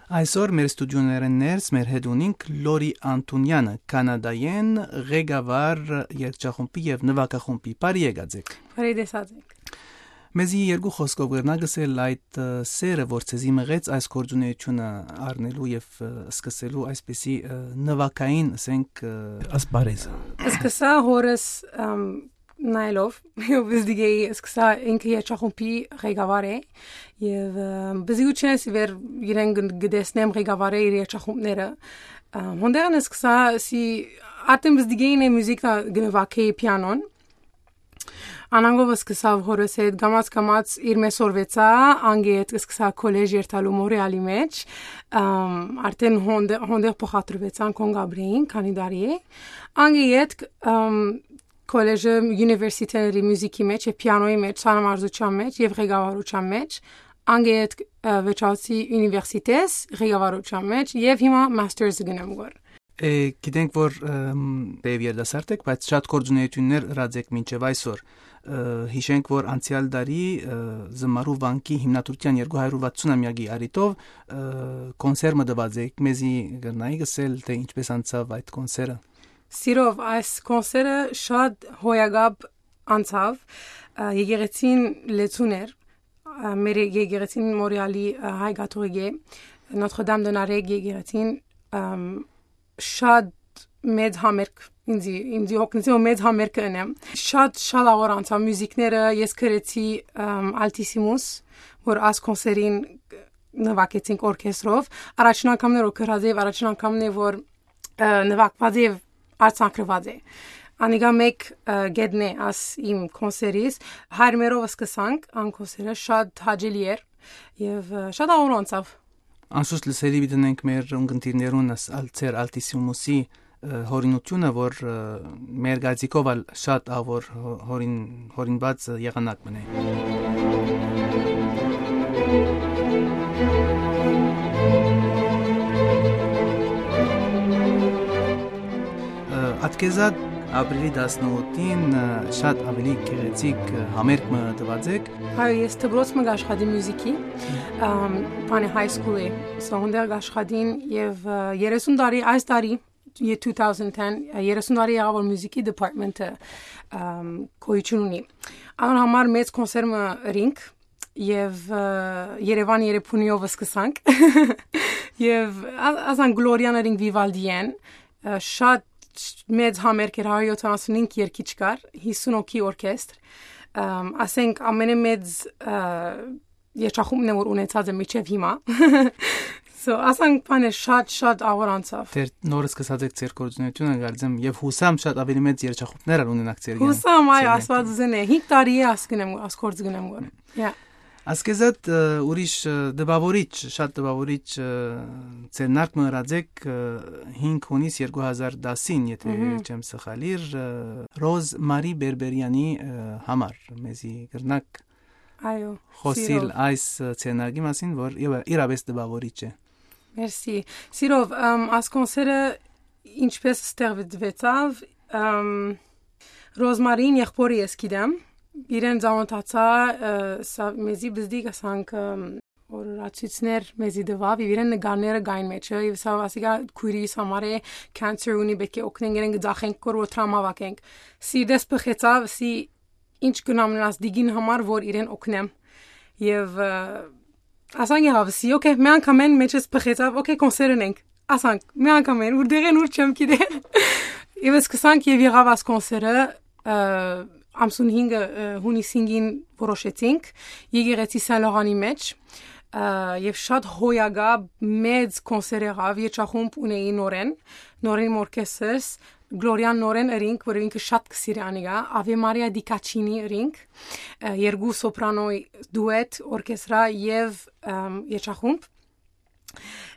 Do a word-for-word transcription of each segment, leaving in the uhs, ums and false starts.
Այսօր մեր ստուդիոներէն ներս մեր հետ ունինք Լորի Անտունեանը, Կանադայէն ղեկավար երգչախումբի եւ նուագախումբի։ Բարի եկած եք։ Բարի տեսած եք։ Մեզի երկու խօսքով կրնա գսել այդ, ը, սերը, որ ձեզի մղեց այս գործունեությունը առնելու եւ, ը, սկսելու այսպիսի, ը, նուագային, ասենք, ը, ասպարեզը։ Սկսա հորս, ըմ, նայելով, ով պզդիկ էի, սկսա ինքը երգչախումբի ղեկավար է, եւ, ը, բզիկութենէս ի վեր իրեն գ-, գտեսնեմ ղեկավարը իր երգչախումբները։ Ը, հոնդերն սկսա, սի, արդեն բզդիկ էին է մյուզիքն ա գնվակեի պիանոն։ Անանգով սկսավ հորս հետ, կամաց-կամաց իր մէ սորվեցա, անգէ հետ սկսա քոլեժ երթալու Մորեալի մէջ, ըմ, արդեն հոնդե-, հոնդեղ փոխադրուեցան Կոնգ Աբրեին, քանի տարի է։ Անգէ ետք, ըմ, քոլեժը, յունիվերսիտետների մյուզիքի մէջ եւ պիանոյի մէջ, սանամարզութեան մէջ եւ ղեկավարութեան մէջ, անգէ ետք, ը, վերջացի յունիվերսիտետ ղեկավարութեան մէջ եւ հիմա մաստերս գնեմ գոր։ Է, գիտենք, որ, ըմ, թեև երիտասարդ եք, բայց շատ գործունեություններ ըրած եք մինչեւ այսօր։ Ը, հիշենք, որ անցեալ տարի, ը, Զմարու վանքի հիմնադրութեան երկու հարյուր վաթսուն ամեակի առիթով, ը, կոնսեր մը տուած եք, մեզի կրնայի գսել, թե ինչպես անցաւ այդ կոնսերը։ Սիրով, այս կոնսերը շատ հոյակապ անցաւ, ը, եկեղեցին լեցուն էր, ը, մեր եկեղեցին Մորեալի, ը, հայ կաթողիկէ Notre Dame de Nareg եկեղեցին, ըմ, շատ մեծ համերգ ինձի, ինձի հոգնեցի, որ մեծ համերգ կ'ընեմ։ Շատ, շատ աղոր անցաւ մյուզիքները, ես գրեցի, ըմ, Altissimus, որ այս կոնսերին նվագեցինք օրքեստրով։ Առաջին անգամն էր, որ գրած էի, առաջին անգամն է, որ, ը, նվագված է եւ արձանագրված է։ Անիկա մեկ, ը, գեդն է աս իմ կոնսերիս։ Հայրմերով սկսանք, ան կոնսերը շատ հաճելի էր եւ, ը, շատ աղոր անցաւ։ Անսուս լսելի պիտի ունենք մեր ունգընտիրներուն աս-, ալ-, ձեր Altissimus-ի, ը, հորինությունը, որ, ը, մեր գազիկով ալ շատ աղոր հո-, հորին-, հորինված եղանակ մնե։ Ը, Ատքեզատ ապրիլի տասնութին, ը, շատ ավելի գեղեցիկ, ը, համերգ մը տուած եք։ Այո, ես դպրոց մը կ'աշխատի մյուզիքի, ըմ, բանը high school-ը, so հոնդեր կ'աշխատին եւ, ը, երեսուն տարի, այս տարի, two thousand ten, ը, երեսուն տարի եղաւ, որ մյուզիքի department-ը, ըմ, գոյություն ունի։ Անոր համար մեծ կոնսեր մը ըրինք եւ, ը, Երեւան Երեփունիով սկսանք։ Եւ ա-, ասան Գլորիան ըրինք Վիվալդիեն, ը, շատ մեծ համերգ էր, հարիւր յոթանասունհինգ երգիչ կար, հիսուն հոգի օրքեստր, ըմ, ասենք ամենէ մեծ, ը, երգչախումբն է, որ ունեցած է մինչեւ հիմա։ So, ասանք բանը շատ, շատ աղոր անցաւ։ Դեռ նոր սկսած եք ձեր գործունեությունը, կարծեմ, եւ յուսամ շատ ավելի մեծ երգչախումբներ ալ ունենաք ձեր կյանքում, Յուսամ, այ, ձեր Աստուած կյանքում։ Զնե, հինգ տարի է աս գնեմ, աս գործ գնեմ գոր։ Yeah։ Ասկեզատ, ը, ուրիշ, ը, տպաւորիչ, շատ տպաւորիչ, ը, ձեռնարկ մը ըրած եք, ը, հինգ հունիս երկու հազար տասին, եթե Մհմ։ չեմ սխալիր, ը, Ռոզ Մարի Բերբերյանի, ը, համար, մեզի կրնակ Այո, խօսիլ սիրով։ Այս, ը, ձեռնարկի մասին, որ իվը-, իրապէս տպաւորիչ է։ Մերսի։ Սիրով, ըմ, այս կոնսերը ինչպես ստեղծվեցավ, ըմ, Ռոզմարին եղբորը ես գիտեմ, իրեն ծանոթացա, ը, սա մեզի բզդիկ ասանք, ըմ, օրացույցներ մեզի տվավ, եւ իրեն նկարները կային մեջը, եւ սա ասիկա քույրիս համար է, cancer ունի, պէտք է օգնենք, իրեն կծախենք, կոր որ տրամավակենք։ Սի դες բխեցավ, սի ինչ կնամ նրաս դիգին համար, որ իրեն օգնեմ։ Եվ, ը, ասան եղավ, սի, օքեյ, մի անգամ են մեջս բխեցավ, օքեյ, կոնսեր ընենք, ասանք, մի անգամ են, ուր դեղեն, ուր չեմ գիտեր։ Եվ սկսանք եւ եղավ աս կոնսերը, ը, ամսուն հինգը, ը, հունիս հինգին որոշեցինք, եկեղեցի Սան Լողանի մեջ, ը, եւ շատ հոյակապ մեծ կոնսեր եղավ, երջախումբ ունեի նորեն, նորեն իմ օրքեստրս, Գլորիան նորեն ըրինք, որ ինքը շատ կսիրի անիկա, Ave Maria di Caccini ըրինք, ը, երկու սոպրանոյ դուետ, օրքեստրա եւ, ըմ, երջախումբ։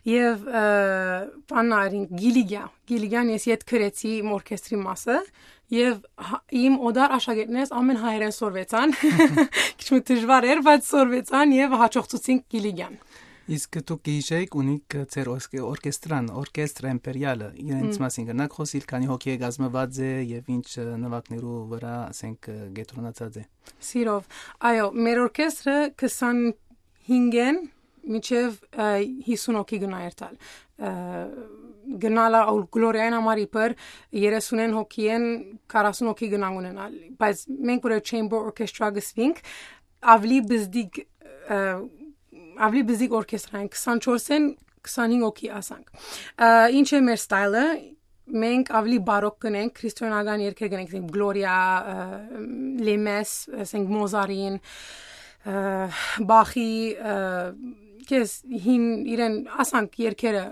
Եվ, ը, բանն ա ըրինք, Գիլիգիա։ Գիլիգիան ես յետ գրեցի իմ օրքեստրի մասը, եւ հա-, իմ օտար աշակերտներս ամեն հայերեն սորվեցան, քիչ մը դժվար էր, բայց սորվեցան եւ հաջողցուցինք Գիլիգիան։ Իսկ դուք կհիշէիք, ունիք ձեր օրս-, օրկեստրան, օրկեստր Էմպերիալը, իրենց Մմ։ մասին կրնաք խօսիլ, քանի հոգի է կազմված է եւ ինչ, ը, նվագներու վրա, ասենք, ը, կեդրոնացած է։ Սիրով։ Այո, մեր օրկեստրը քսանհինգ են, մինչեւ, ը, հիսուն հոգի կրնայ երթալ։ Ը, կրնայ ալ Գլորիային համար իբր երեսունէն հոգիէն քառասուն հոգի կրնանք ունենալ, բայց մենք որ chamber orchestra կ'ըսուինք, աւելի բզդիկ, ը, աւելի բզդիկ օրքեստրան, քսանչորսէն քսանհինգ հոգի ասանք։ Ը, ինչ է մեր style-ը, մենք աւելի բարոկ կ'ընենք, քրիստոնեական երգեր կ'ընենք, ասենք Գլորիա, ը, Լեմես, ասենք Մոզարին, ը, Բախի, ը, քեզ հին իրեն ասանք երգերը,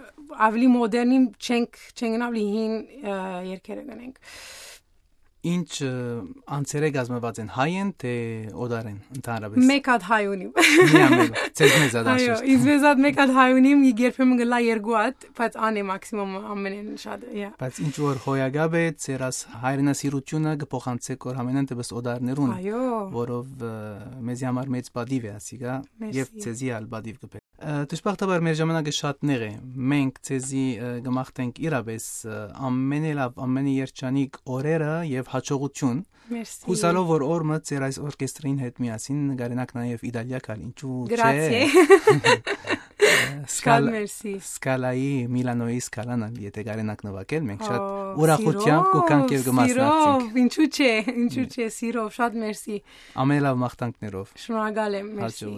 աւելի մոդեռնին չենք, չենք, աւելի հին, ը, երգերը կ'ընենք։ Ինչ, ը, անձերէ կազմուած են, հայ են թէ օտար են, ընդհանրապէս։ Մեկ հատ հայ ունիմ։ Միան մեկ, ձեզմեզ հատ Այո, անշուշտ։ Ինձ մեզ հատ մեկ հատ հայ ունիմ, երբեմն կ'ըլլայ երկու հատ, բայց ան է մաքսիմում ամենէն շատ, yeah։ Բայց ինչ որ հոյակապ է, ձեր աս հայրենասիրութիւնը կը փոխանցէք որ ամենայն դեպս օտարներուն, Այո։ որով, ը, մեզի համար մեծ պատիւ է ասիկա, Մերսի։ Եւ ձեզի ալ պատիվ կը բեր։ Ը, դժբախտաբար մեր ժամանակը շատ նեղ է։ Մենք ձեզի, ը, կը մաղթենք իրապէս, ը, ամենէ լաւ, ամենէ երջանիկ օրերը եւ հաջողություն։ Մերսի։ Հուսալով որ օր մը ձեր այս օրկեստրին հետ միասին նկարենաք նաեւ Իտալիա գալ, ինչու՞ չէ։ Գրացիե։ Շատ Սկալ-, մերսի։ Սկալայի, Միլանոյի Սկալան ալ, եթե կարենաք նվագել, մենք շատ Ա, ուրախությամբ սիրով, կուքանք եւ կմասնակցենք։ Սիրով, ինչու՞ չէ, ինչու՞ Մի- չէ, սիրով, շատ մերսի։ Ամենէ լաւ մաղթանքներով։ Շնորհակալ եմ, մերսի։ Հաջողություն։